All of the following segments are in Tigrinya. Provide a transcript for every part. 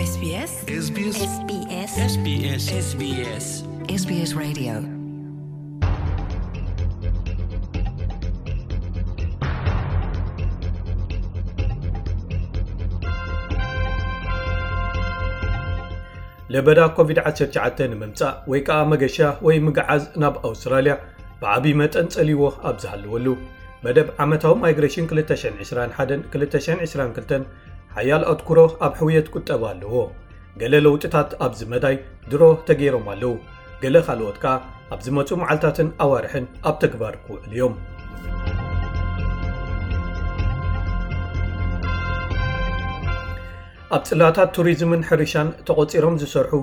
SBS SBS SBS SBS SBS Radio. ለበዳ ኮቪድ ዓሰርተ ትሽዓተ ንምምጻእ ወይ ከኣ መገሻ ወይ ምግዓዝ ናብ ኣውስትራልያ ብዓቢ መጠን ጸልይዎ ኣብ ዝሃለወሉ፣ መደብ ዓመታዊ ማይግሬሽን ክልተ ሽሕን ዕስራን ሓደን ክልተ ሽሕን ዕስራን ክልተን ሓያል ኣትኩሮ ኣብ ሕውየት ቁጠባ ኣለዎ። ገለ ለውጥታት ኣብዚ መዳይ ድሮ ተገይሮም ኣለዉ። ገለ ካልኦት ከኣ ኣብ ዝመጹ መዓልታትን ኣዋርሕን ኣብ ተግባር ክውዕሉ እዮም። ኣብ ጽላታት ቱሪዝምን ሕርሻን ተቖጺሮም ዝሰርሑ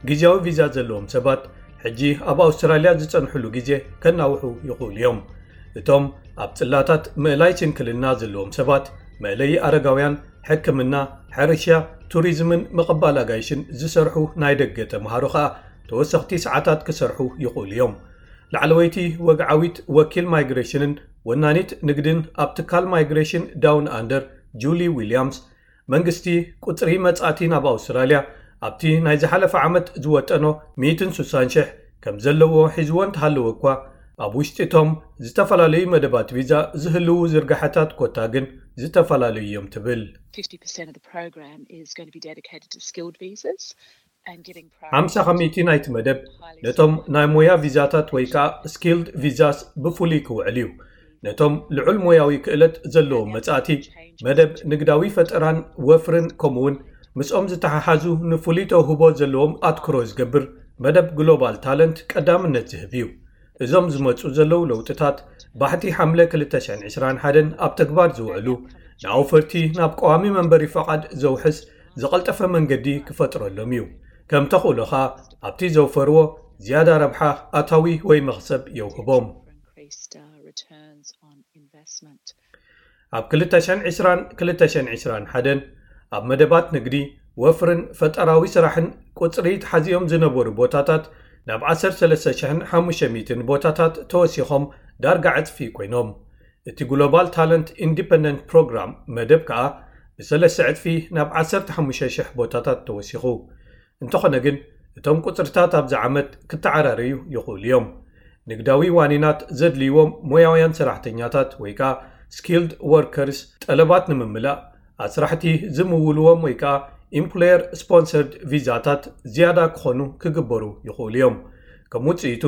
ግዝያዊ ቪዛ ዘለዎም ሰባት፣ ሕጂ ኣብ ኣውስትራልያ ዝጸንሕሉ ግዜ ከናውሑ ይኽእሉ እዮም። እቶም ኣብ ጽላታት ምእላይ ስንክልና ዘለዎም ሰባት፣ መእለዪ ኣረጋውያን፣ ሕክምና፣ ሕርሻ፣ ቱሪዝምን ምቕባል ኣጋይሽን ዝሰርሑ ናይ ደገ ተምሃሮ ከኣ ተወሰኽቲ ሰዓታት ክሰርሑ ይኽእሉ እዮም። ላዕለወይቲ ወግዓዊት ወኪል ማይግሬሽንን ወናኒት ንግድን ኣብ ትካል ማይግሬሽን ዳውን ኣንደር፣ ጁሊ ዊልያምስ፣ መንግስቲ ቁጽሪ መጻእቲ ናብ ኣውስትራልያ ኣብቲ ናይ ዝሓለፈ ዓመት ዝወጠኖ ሚእትን ስሳን ሽሕ ከም ዘለዎ ሒዝዎ እንተሃለወ እኳ፣ ኣብ ውሽጢ እቶም ዝተፈላለዩ መደባት ቪዛ ዝህልዉ ዝርጋሐታት ኮታ ግን ዝተፈላለዩ እዮም ትብል። fifty percent of the program is going to be dedicated to skilled visas and giving priority ሓምሳ ከሚእቲ ናይቲ መደብ ነቶም ናይ ሞያ ቪዛታት ወይ ከኣ ስኪልድ ቪዛስ ብፍሉይ ክውዕል እዩ። ነቶም ልዑል ሞያዊ ክእለት ዘለዎም መጻእቲ፣ መደብ ንግዳዊ ፈጠራን ወፍርን፣ ከምኡውን ምስኦም ዝተሓሓዙ ንፍሉይ ተውህቦ ዘለዎም ኣትኩሮ ዝገብር መደብ ግሎባል ታለንት ቀዳምነት ዝህብ እዩ። እዞም ዝመጹ ዘለዉ ለውጥታት ባሕቲ ሓምለ ክልተ ሽሕን ዕስራን ሓደን ኣብ ተግባር ዝውዕሉ፣ ንኣውፈርቲ ናብ ቀዋሚ መንበሪ ፈቓድ ዘውሕስ ዝቐልጠፈ መንገዲ ክፈጥረሎም እዩ። ከም ተኽእሎ ኸኣ ኣብቲ ዘውፈርዎ ዝያዳ ረብሓ ኣታዊ ወይ መኽሰብ የውህቦም። increased, uh, returns on investment. ኣብ ክልተ ሽሕን ዕስራን ክልተ ሽሕን ዕስራን ሓደን ኣብ መደባት ንግዲ፣ ወፍርን ፈጠራዊ ስራሕን ቁጽሪ ተሓዚኦም ዝነበሩ ቦታታት ናብ ዓሰርተ ሰለስተ ሽሕን ሓሙሽተ ሚእትን ቦታታት ተወሲኾም ዳርጋ ዕጽፊ ኮይኖም። እቲ ግሎባል ታለንት ኢንዲፐንደንት ፕሮግራም መደብ ከኣ ብሰለስተ ዕጽፊ ናብ ዓሰርተ ሓሙሽተ ሽሕ ቦታታት ተወሲኹ። እንተኾነ ግን፣ እቶም ቁጽርታት ኣብዚ ዓመት ክተዓራረዩ ይኽእሉ እዮም። ንግዳዊ ዋኒናት ዘድልይዎም ሞያውያን ሰራሕተኛታት ወይ ከኣ ስኪልድ ወርከርስ ጠለባት ንምምላእ፣ ኣስራሕቲ ዝምውልዎም ወይ ከኣ ኢምፕሎየር ስፖንሰርድ ቪዛታት ዝያዳ ክኾኑ ክግበሩ ይኽእሉ እዮም። ከም ውጽኢቱ፣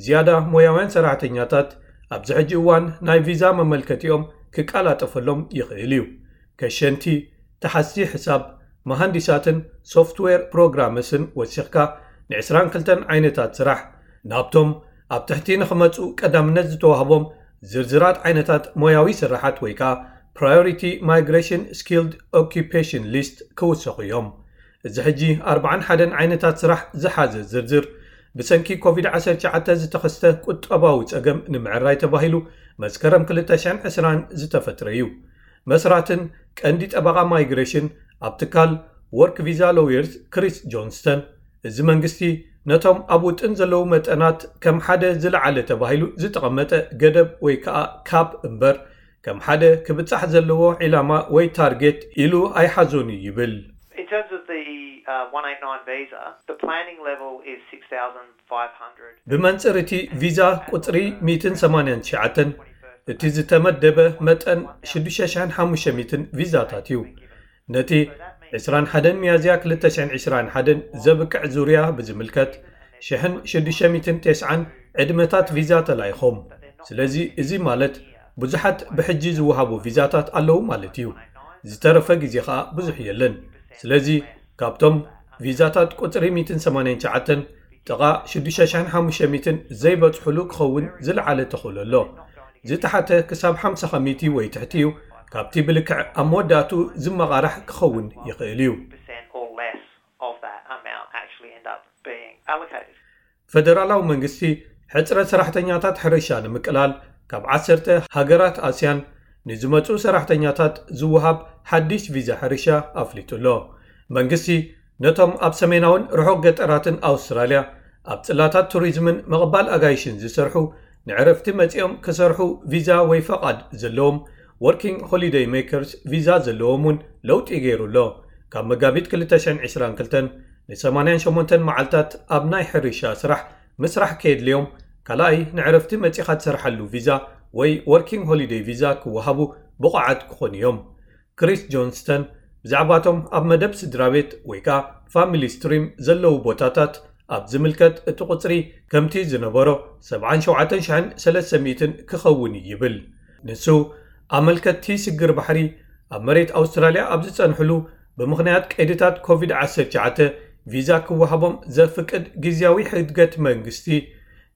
ዝያዳ ሞያውያን ሰራሕተኛታት ኣብዚ ሕጂ እዋን ናይ ቪዛ መመልከቲኦም ክቀላጠፈሎም ይኽእል እዩ። ከሸንቲ፣ ተሓዝቲ ሕሳብ፣ መሃንዲሳትን ሶፍትዌር ፕሮግራመስን ወሲኽካ ንዕስራን ክልተን ዓይነታት ስራሕ፣ ናብቶም ኣብ ትሕቲ ንኽመጹ ቀዳምነት ዝተዋህቦም ዝርዝራት ዓይነታት ሞያዊ ስራሓት ወይ ከኣ ፕራዮሪቲ ማይግሬሽን ስኪልድ ኦኪፔሽን ሊስት ክውሰኹ እዮም። እዚ ሕጂ ኣርባዓን ሓደን ዓይነታት ስራሕ ዝሓዘ ዝርዝር፣ ብሰንኪ ኮቪድ ዓሰርተ ትሽዓተ ዝተኸስተ ቁጠባዊ ጸገም ንምዕራይ ተባሂሉ መስከረም ክልተ ሽሕን ዕስራን ዝተፈጥረ እዩ። መስራትን ቀንዲ ጠበቓ ማይግሬሽን ኣብ ትካል ወርክ ቪዛ ሎየርስ ክሪስ ጆንስተን፣ እዚ መንግስቲ ነቶም ኣብ ውጥን ዘለዉ መጠናት ከም ሓደ ዝለዓለ ተባሂሉ ዝተቐመጠ ገደብ ወይ ከኣ ካፕ እምበር፣ ከም ሓደ ክብጻሕ ዘለዎ ዒላማ ወይ ታርጌት ኢሉ ኣይሓዞን እዩ ይብል። In terms of the, uh, one eight nine visa, the planning level is six thousand five hundred. ብመንጽር እቲ ቪዛ ቁጽሪ ሚእትን ሰማንያን ትሽዓተን፣ እቲ ዝተመደበ መጠን ሽዱሽተ ሽሕን ሓሙሽተ ሚእትን ቪዛታት እዩ። ነቲ ዕስራን ሓደን ሚያዝያ ክልተ ሽሕን ዕስራን ሓደን ዘብቅዕ ዙርያ ብዝምልከት፣ ሽሕን ሽዱሽተ ሚእትን ተስዓን ዕድመታት ቪዛ ተላኢኾም። ስለዚ እዚ ማለት ብዙሓት ብሕጂ ዝወሃቡ ቪዛታት ኣለዉ ማለት እዩ። ዝተረፈ ግዜ ኸኣ ብዙሕ የለን። ስለዚ ካብቶም ቪዛታት ቁጽሪ ሚእትን ሰማንያን ትሽዓተን፣ ጥቓ ሽዱሽተ ሽሕን ሓሙሽተ ሚእትን ዘይበጽሑሉ ክኸውን ዝለዓለ ተኽእሎ ኣሎ። ዝተሓተ ክሳብ ሓምሳ ከሚእቲ ወይ ትሕቲ እዩ፣ ካብቲ ብልክዕ ኣብ መወዳእቱ ዝመቓራሕ ክኸውን ይኽእል እዩ። Percent or less of that amount actually end up being allocated. ፈደራላዊ መንግስቲ ሕጽረት ሰራሕተኛታት ሕርሻ ንምቅላል፣ ካብ ዓሰርተ ሃገራት ኣስያን ንዝመጹ ሰራሕተኛታት ዝወሃብ ሓድሽ ቪዛ ሕርሻ ኣፍሊጡ ኣሎ። መንግስቲ ነቶም ኣብ ሰሜናውን ርሑቕ ገጠራትን ኣውስትራልያ ኣብ ጽላታት ቱሪዝምን ምቕባል ኣጋይሽን ዝሰርሑ፣ ንዕረፍቲ መጺኦም ክሰርሑ ቪዛ ወይ ፈቓድ ዘለዎም፣ ወርኪንግ ሆሊደይ ሜከርስ ቪዛ ዘለዎም እውን ለውጢ ገይሩ ኣሎ። ካብ መጋቢት ክልተ ሽሕን ዕስራን ክልተን ን ሰማንያን ሸሞንተን መዓልታት ኣብ ናይ ሕርሻ ስራሕ ምስራሕ ከየድልዮም፣ ካልኣይ ንዕረፍቲ መጺኻ ትሰርሓሉ ቪዛ ወይ ወርኪንግ ሆሊደይ ቪዛ ክወሃቡ ብቑዓት ክኾኑ እዮም። ክሪስ ጆንስተን ብዛዕባቶም ኣብ መደብ ስድራ ቤት ወይ ከኣ ፋሚሊ ስትሪም ዘለዉ ቦታታት ኣብ ዝምልከት፣ እቲ ቁጽሪ ከምቲ ዝነበሮ ሰብዓን ሸውዓተን ሽሕን ሰለስተ ሚእትን ክኸውን እዩ ይብል። ንሱ፣ ኣመልከትቲ ስግር ባሕሪ ኣብ መሬት ኣውስትራልያ ኣብ ዝጸንሕሉ፣ ብምኽንያት ቀይድታት ኮቪድ ዓሰርተ ትሽዓተ ቪዛ ክወሃቦም ዘፍቅድ ግዝያዊ ሕድገት መንግስቲ፣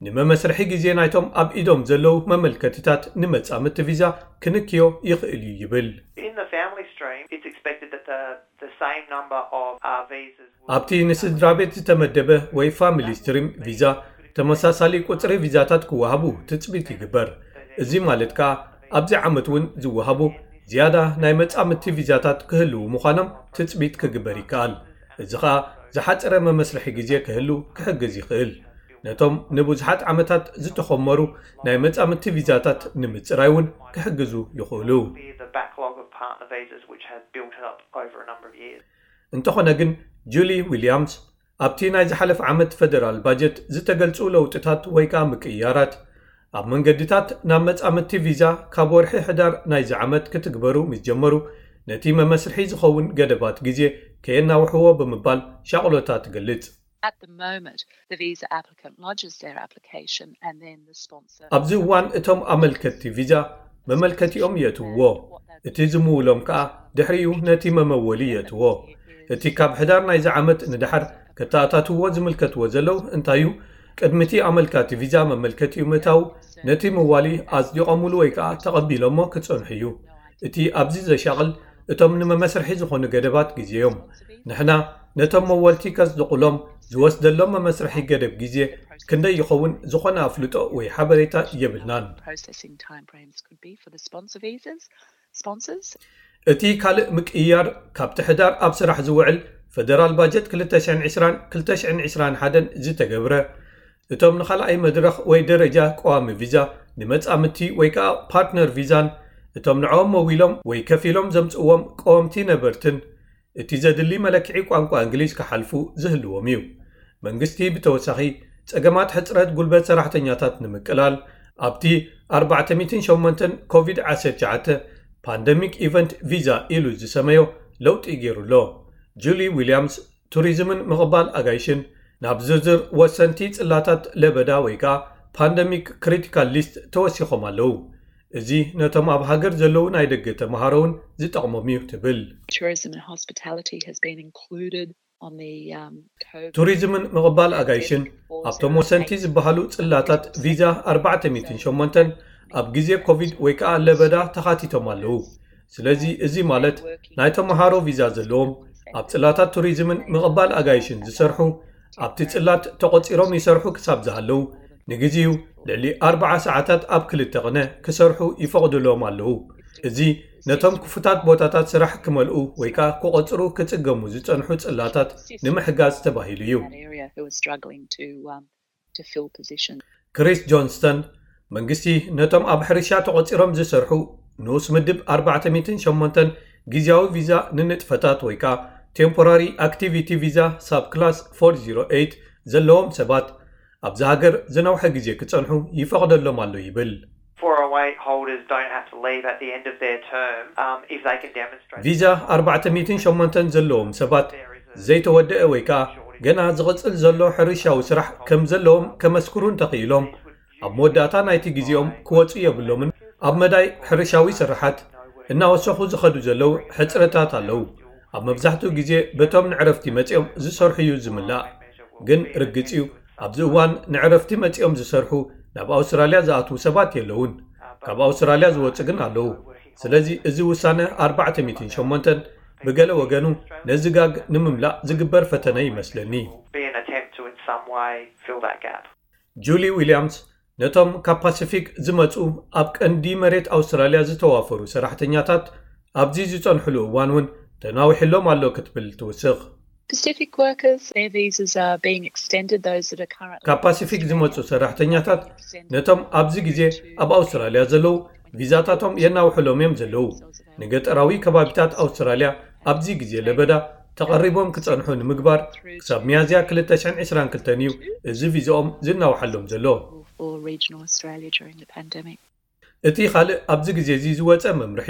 ንመመስርሒ ግዜ ናይቶም ኣብ ኢዶም ዘለዉ መመልከትታት ንመጻምድቲ ቪዛ ክንክዮ ይኽእል እዩ ይብል። In the family stream, it's expected that the, the same number of uh, visas. ኣብቲ ንስድራ ቤት ዝተመደበ ወይ ፋሚሊ ስትሪም ቪዛ፣ ተመሳሳሊ ቁጽሪ ቪዛታት ክወሃቡ ትጽቢት ይግበር። እዚ ማለት ከኣ ኣብዚ ዓመት እውን ዝወሃቡ ዝያዳ ናይ መጻምድቲ ቪዛታት ክህልዉ ምዃኖም ትጽቢት ክግበር ይከኣል። እዚ ኸኣ ዝሓጸረ መመስርሒ ግዜ ክህሉ ክሕግዝ ይኽእል። ነቶም ንብዙሓት ዓመታት ዝተኾመሩ ናይ መጻምድቲ ቪዛታት ንምጽራይ እውን ክሕግዙ ይኽእሉ። Clear the backlog of partner visas which has built up over a number of years. እንተኾነ ግን፣ ጁሊ ዊልያምስ ኣብቲ ናይ ዝሓለፈ ዓመት ፈደራል ባጀት ዝተገልጹ ለውጥታት ወይ ከኣ ምቅይያራት፣ ኣብ መንገድታት ናብ መጻምድቲ ቪዛ ካብ ወርሒ ሕዳር ናይዚ ዓመት ክትግበሩ ምስ ጀመሩ፣ ነቲ መመስርሒ ዝኸውን ገደባት ግዜ ከየናውሕዎ ብምባል ሻቕሎታ ትገልጽ። At the moment, the visa applicant lodges their application and then the sponsor. ኣብዚ እዋን እቶም ኣመልከትቲ ቪዛ መመልከቲኦም የእትውዎ። እቲ ዝምውሎም ከኣ ድሕሪኡ ነቲ መመወሊ የእትዎ። እቲ ካብ ሕዳር ናይዚ ዓመት ንደሓር ከተኣታትዎ ዝምልከትዎ ዘለዉ እንታዩ፣ ቅድሚቲ ኣመልካቲ ቪዛ መመልከቲኡ ምእታዉ፣ ነቲ ምዋሊ ኣጽዲቖምሉ ወይ ከኣ ተቐቢሎሞ ክጸንሑ እዩ። እቲ ኣብዚ ዘሻቕል እቶም ንመመስርሒ ዝኾኑ ገደባት ግዜ እዮም። ንሕና ነቶም መወልቲ ከጽድቑሎም ዝወስደሎም መመስርሒ ገደብ ግዜ ክንደይ ይኸውን ዝኾነ ኣፍልጦ ወይ ሓበሬታ የብልናን። Processing timeframes could be for the sponsor visas. Sponsors. እቲ ካልእ ምቅይያር፣ ካብቲ ሕዳር ኣብ ስራሕ ዝውዕል ፈደራል ባጀት ክልተ ሽሕን ዕስራን ክልተ ሽሕን ዕስራን ሓደን ዝተገብረ፣ እቶም ንኻልኣይ መድረኽ ወይ ደረጃ ቀዋሚ ቪዛ ንመጻምድቲ ወይ ከኣ ፓርትነር ቪዛን እቶም ንዕኦም መዊሎም ወይ ከፊሎም ዘምጽእዎም ቀወምቲ ነበርትን እቲ ዘድሊ መለክዒ ቋንቋ እንግሊዝ ክሓልፉ ዝህልዎም እዩ። መንግስቲ ብተወሳኺ ጸገማት ሕጽረት ጉልበት ሰራሕተኛታት ንምቅላል ኣብቲ ኣርባዕተ ሚእትን ሸሞንተን ኮቪድ ዓሰርተ ትሽዓተ ፓንደሚክ ኢቨንት ቪዛ ኢሉ ዝሰመዮ ለውጢ ገይሩ ኣሎ። ጁሊ ዊልያምስ ቱሪዝምን ምቕባል ኣጋይሽን ናብ ዝርዝር ወሰንቲ ጽላታት ለበዳ ወይ ከኣ ፓንደሚክ ክሪቲካል ሊስት ተወሲኾም ኣለዉ። እዚ ነቶም ኣብ ሃገር ዘለዉ ናይ ደገ ተመሃሮ እውን ዝጠቕሞም እዩ ትብል። Tourism and hospitality has been included on the um, COVID. ቱሪዝምን ምቕባል ኣጋይሽን ኣብቶም ወሰንቲ ዝበሃሉ ጽላታት ቪዛ ኣርባዕተ ሚእትን ሸሞንተን ኣብ ግዜ ኮቪድ ወይ ከኣ ለበዳ ተኻቲቶም ኣለዉ። ስለዚ እዚ ማለት ናይ ተመሃሮ ቪዛ ዘለዎም ኣብ ጽላታት ቱሪዝምን ምቕባል ኣጋይሽን ዝሰርሑ ኣብቲ ጽላት ተቖጺሮም ይሰርሑ ክሳብ ዝሃለዉ ንግዜኡ ልዕሊ ኣርብዓ ሰዓታት ኣብ ክልተ ቅነ ክሰርሑ ይፈቕድሎም ኣለዉ። እዚ ነቶም ክፉታት ቦታታት ስራሕ ክመልኡ ወይ ከኣ ክቖጽሩ ክጽገሙ ዝጸንሑ ጽላታት ንምሕጋዝ ተባሂሉ እዩ። That area who are struggling to um, to fill positions. ክሪስ ጆንስተን መንግስቲ ነቶም ኣብ ሕርሻ ተቖጺሮም ዝሰርሑ ንኡስ ምድብ ኣርባዕተ ሚእትን ሸሞንተን ግዝያዊ ቪዛ ንንጥፈታት ወይ ከኣ ቴምፖራሪ ኣክቲቪቲ ቪዛ ሳብ ክላስ ፎር ዜሮ ኤይት ዘለዎም ሰባት ኣብዚ ሃገር ዝነውሐ ግዜ ክጸንሑ ይፈቕደሎም ኣሎ ይብል። Four oh eight holders don't have to leave at the end of their term um, if they can demonstrate. ቪዛ ኣርባዕተ ሚእትን ሸሞንተን ዘለዎም ሰባት ዘይተወደአ ወይ ከኣ ገና ዝቕጽል ዘሎ ሕርሻዊ ስራሕ ከም ዘለዎም ከመስክሩ እንተኽኢሎም፣ ኣብ መወዳእታ ናይቲ ግዜኦም ክወጹ የብሎምን። ኣብ መዳይ ሕርሻዊ ስርሓት እናወሰኹ ዝኸዱ ዘለዉ ሕጽረታት ኣለዉ። ኣብ መብዛሕትኡ ግዜ በቶም ንዕረፍቲ መጺኦም ዝሰርሑ እዩ ዝምላእ። ግን ርግጽ እዩ፣ ኣብዚ እዋን ንዕረፍቲ መጺኦም ዝሰርሑ ናብ ኣውስትራልያ ዝኣትዉ ሰባት የለዉን። ካብ ኣውስትራልያ ዝወጹ ግን ኣለዉ። ስለዚ እዚ ውሳነ ኣርባዕተ ሚእትን ሸሞንተን ብገለ ወገኑ ነዚ ጋግ ንምምላእ ዝግበር ፈተነ ይመስለኒ። Be an attempt to in some way fill that gap. ጁሊ ዊልያምስ ነቶም ካብ ፓሲፊክ ዝመጹ ኣብ ቀንዲ መሬት ኣውስትራልያ ዝተዋፈሩ ሰራሕተኛታት ኣብዚ ዝጸንሕሉ እዋን እውን ተናዊሕሎም ኣሎ ክትብል ትውስኽ። Pacific workers, their visas are being extended, those that are currently. ካብ ፓሲፊክ ዝመጹ ሰራሕተኛታት ነቶም ኣብዚ ግዜ ኣብ ኣውስትራልያ ዘለዉ ቪዛታቶም የናውሕሎም እዮም ዘለዉ። ንገጠራዊ ከባቢታት ኣውስትራልያ ኣብዚ ግዜ ለበዳ ተቐሪቦም ክጸንሑ ንምግባር ክሳብ ሚያዝያ ክልተ ሽሕን ዕስራን ክልተን እዩ እዚ ቪዛኦም ዝናውሓሎም ዘሎ። for regional Australia during the pandemic. እቲ ካልእ ኣብዚ ግዜ እዚ ዝወጸ መምርሒ፣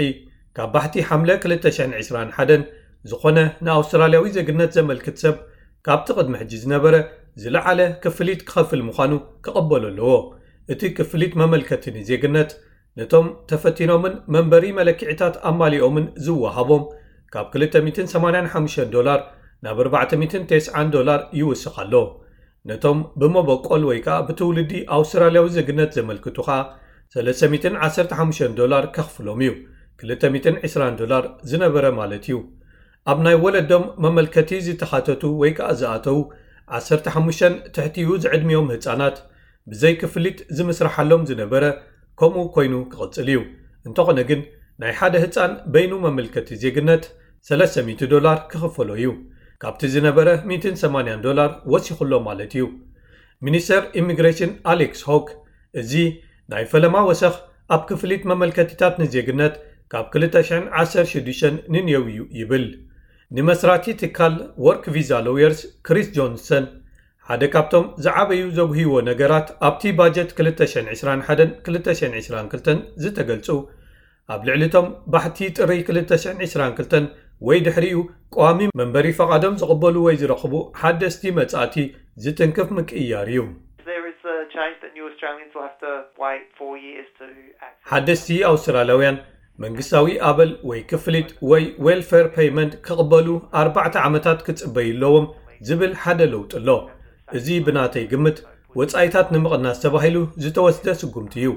ካብ ባሕቲ ሓምለ ክልተ ሽሕን ዕስራን ሓደን ዝኾነ ንኣውስትራልያዊ ዜግነት ዘመልክት ሰብ ካብቲ ቅድሚ ሕጂ ዝነበረ ዝለዓለ ክፍሊት ክኸፍል ምዃኑ ክቕበሎ ኣለዎ። እቲ ክፍሊት መመልከቲ ንዜግነት ነቶም ተፈቲኖምን መንበሪ መለክዒታት ኣማሊኦምን ዝወሃቦም ካብ ክልተ ሚእትን ሰማንያን ሓሙሽተን ዶላር ናብ ኣርባዕተ ሚእትን ተስዓን ዶላር ይውስኽ ኣሎ። ነቶም ብመበቆል ወይ ከኣ ብትውልዲ ኣውስትራልያዊ ዜግነት ዘመልክቱ ከኣ ሰለስተ ሚእትን ዓሰርተ ሓሙሽተን ዶላር ከኽፍሎም እዩ። ክልተ ሚእትን ዕስራን ዶላር ዝነበረ ማለት እዩ። ኣብ ናይ ወለዶም መመልከቲ ዝተኻተቱ ወይ ከኣ ዝኣተዉ ዓሰርተ ሓሙሽተን ትሕቲኡ ዝዕድሚኦም ህጻናት ብዘይ ክፍሊት ዝምስርሓሎም ዝነበረ ከምኡ ኮይኑ ክቕጽል እዩ። እንተኾነ ግን ናይ ሓደ ህጻን በይኑ መመልከቲ ዜግነት ሰለስተ ሚእቲ ዶላር ክኽፈሎ እዩ። ካብቲ ዝነበረ ሚእትን ሰማንያን ዶላር ወሲኹሎ ማለት እዩ። ሚኒስተር ኢሚግሬሽን ኣሌክስ ሆክ እዚ ናይ ፈለማ ወሰኽ ኣብ ክፍሊት መመልከቲታት ንዜግነት ካብ ክልተ ሽሕን ዓሰርተ ሽዱሽተን ንንየው እዩ ይብል። ንመስራቲ ትካል ወርክ ቪዛ ሎየርስ ክሪስ ጆንሰን ሓደ ካብቶም ዝዓበዩ ዘጉህይዎ ነገራት ኣብቲ ባጀት ክልተ ሽሕን ዕስራን ሓደን ክልተ ሽሕን ዕስራን ክልተን ዝተገልጹ ኣብ ልዕሊ እቶም ባሕቲ ጥሪ ክልተ ሽሕን ዕስራን ክልተን ወይ ድሕሪኡ ቀዋሚ መንበሪ ፈቓዶም ዝቕበሉ ወይ ዝረኽቡ ሓደስቲ መጻእቲ ዝትንክፍ ምቅይያር እዩ። There is a change that new Australians will have to wait four years to access. ሓደስቲ ኣውስትራልያውያን መንግስታዊ ኣበል ወይ ክፍሊት ወይ ዌልፌር ፔይመንት ክቕበሉ ኣርባዕተ ዓመታት ክጽበዩ ኣለዎም ዝብል ሓደ ለውጢ ኣሎ። እዚ ብናተይ ግምት ወጻኢታት ንምቕናስ ተባሂሉ ዝተወስደ ስጉምቲ እዩ።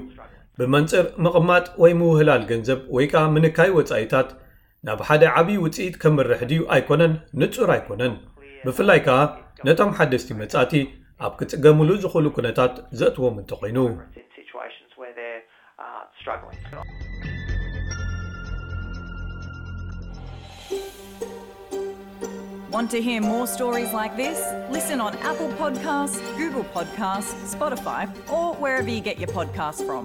ብመንጽር ምቕማጥ ወይ ምውህላል ገንዘብ ወይ ከኣ ምንካይ ወጻኢታት ናብ ሓደ ዓብዪ ውጽኢት ከምርሕ ድዩ ኣይኮነን ንጹር ኣይኮነን። ብፍላይ ከኣ ነቶም ሓደስቲ መጻእቲ ኣብ ክጽገምሉ ዝኽእሉ ኩነታት ዘእትዎም እንተኾይኑ። In situations where they're uh, struggling. Want to hear more stories like this? Listen on Apple Podcasts, Google Podcasts, Spotify, or wherever you get your podcasts from.